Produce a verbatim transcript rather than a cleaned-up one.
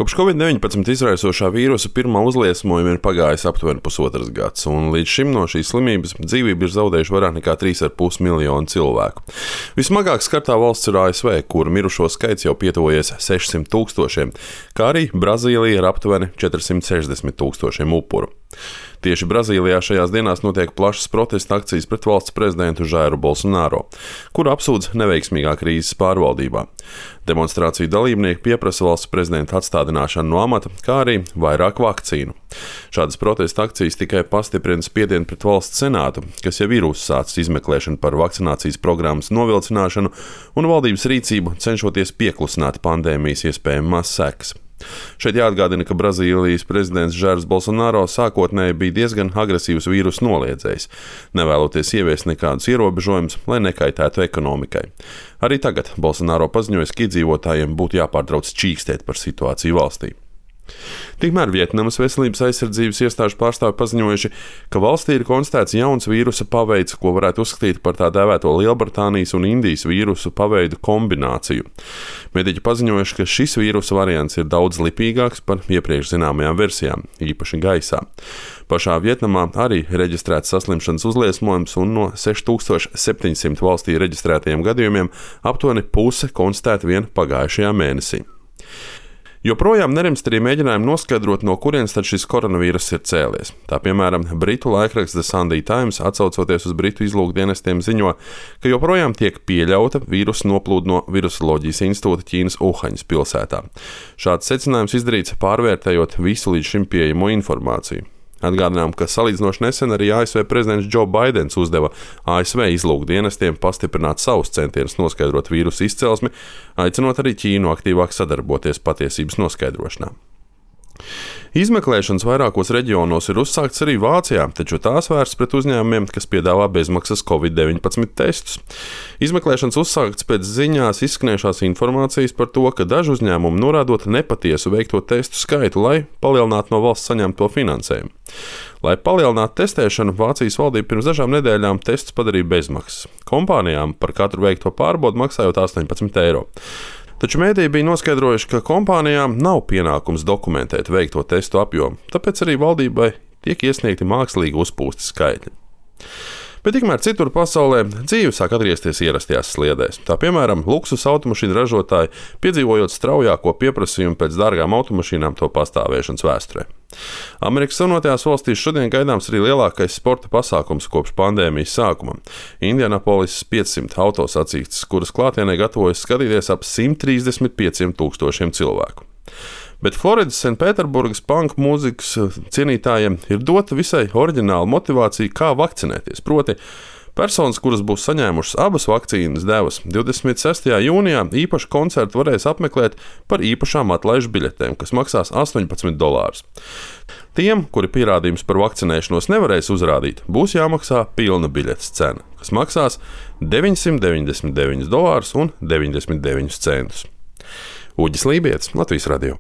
Kopš covid deviņpadsmit izraisošā vīrusa pirmā uzliesmojuma ir pagājis aptuveni pusotrs gads, un līdz šim no šīs slimības dzīvību ir zaudējuši vairāk nekā trīs ar pus miljonu cilvēku. Vismagāk skartā valsts ir A S V, kur mirušo skaits jau pietuvojies sešsimt tūkstošiem, kā arī Brazīlija ar aptuveni četrsimt sešdesmit tūkstošiem upuru. Tieši Brazīlijā šajās dienās notiek plašas protesta akcijas pret valsts prezidentu Jairu Bolsonaro, kuru apsūdz neveiksmīgā krīzes pārvaldībā. Demonstrāciju dalībnieki pieprasa valsts prezidenta atstādināšanu no amata, kā arī vairāk vakcīnu. Šādas protesta akcijas tikai pastiprina spiedienu pret valsts senātu, kas jau ir uzsācis izmeklēšanu par vakcinācijas programmas novilcināšanu un valdības rīcību, cenšoties pieklusināt pandēmijas iespējamās sekas. Šeit jāatgādina, ka Brazīlijas prezidents Jairs Bolsonaro sākotnēji bija diezgan agresīvs vīrusu noliedzējs, nevēloties ieviest nekādus ierobežojumus, lai nekaitētu ekonomikai. Arī tagad Bolsonaro paziņoja, ka iedzīvotājiem būtu jāpārtrauc čīkstēt par situāciju valstī. Tikmēr Vietnamas veselības aizsardzības iestāžu pārstāvi paziņojuši, ka valstī ir konstatēts jauns vīrusa paveids, ko varētu uzskatīt par tā dēvēto Lielbritānijas un Indijas vīrusu paveidu kombināciju. Mediķi paziņojuši, ka šis vīrusa variants ir daudz lipīgāks par iepriekš zināmajām versijām, īpaši gaisā. Pašā Vietnamā arī reģistrēts saslimšanas uzliesmojums, un no seši tūkstoši septiņsimt valstī reģistrētajiem gadījumiem aptuveni puse konstatēta vien pagājušajā mēnesī. Joprojām nerimst arī mēģinājumi noskaidrot, no kurienes tad šis koronavīruss ir cēlies. Tā piemēram, britu laikraksts The Sunday Times, atsaucoties uz britu izlūkdienestiem, ziņo, ka joprojām tiek pieļauta vīrusa noplūde no Virusoloģijas institūta Ķīnas Uhaņas pilsētā. Šāds secinājums izdarīts pārvērtējot visu līdz šim pieejamo informāciju. Atgādinām, ka salīdzinoši nesen arī A S V prezidents Joe Baidens uzdeva A S V izlūkdienestiem pastiprināt savus centienus noskaidrot vīrusu izcelsmi, aicinot arī Ķīnu aktīvāk sadarboties patiesības noskaidrošanā. Izmeklēšanas vairākos reģionos ir uzsākts arī Vācijā, taču tās vērsts pret uzņēmumiem, kas piedāvā bezmaksas covid deviņpadsmit testus. Izmeklēšanas uzsākts pēc ziņās izskanējušās informācijas par to, ka daži uzņēmumi norādot nepatiesu veikto testu skaitu, lai palielinātu no valsts saņemto finansējumu. Lai palielinātu testēšanu, Vācijas valdība pirms dažām nedēļām testus padarīja bezmaksas. Kompānijām par katru veikto pārbaudu maksājot astoņpadsmit eiro. Taču mēdīji bija noskaidrojuši, ka kompānijām nav pienākums dokumentēt veikto testu apjomu, tāpēc arī valdībai tiek iesniegti mākslīgi uzpūsti skaitļi. Bet tikmēr citur pasaulē dzīve sāk atgriezties ierastajās sliedēs. Tā piemēram, luksus automašīnu ražotāji piedzīvojot straujāko pieprasījumu pēc dārgām automašīnām to pastāvēšanas vēsturē. Amerikas Savienotajās valstīs šodien gaidāms arī lielākais sporta pasākums kopš pandēmijas sākuma - Indianapolis piecsimt autosacīkstes, kuras klātienē gatavojas skatīties ap simt trīsdesmit pieciem tūkstošiem cilvēku. Bet Floridas Senpēterburgas panku mūzikas cienītājiem ir dota visai oriģināla motivācija, kā vakcinēties. Proti, personas, kuras būs saņēmušas abas vakcīnas devas, divdesmit sestajā jūnijā īpašu koncertu varēs apmeklēt par īpašām atlaižu biļetēm, kas maksās astoņpadsmit dolārus. Tiem, kuri pierādījums par vakcinēšanos nevarēs uzrādīt, būs jāmaksā pilna biļetes cena, kas maksās deviņsimt deviņdesmit deviņus dolārus un deviņdesmit deviņus centus. Uģis Lībietis, Latvijas radio.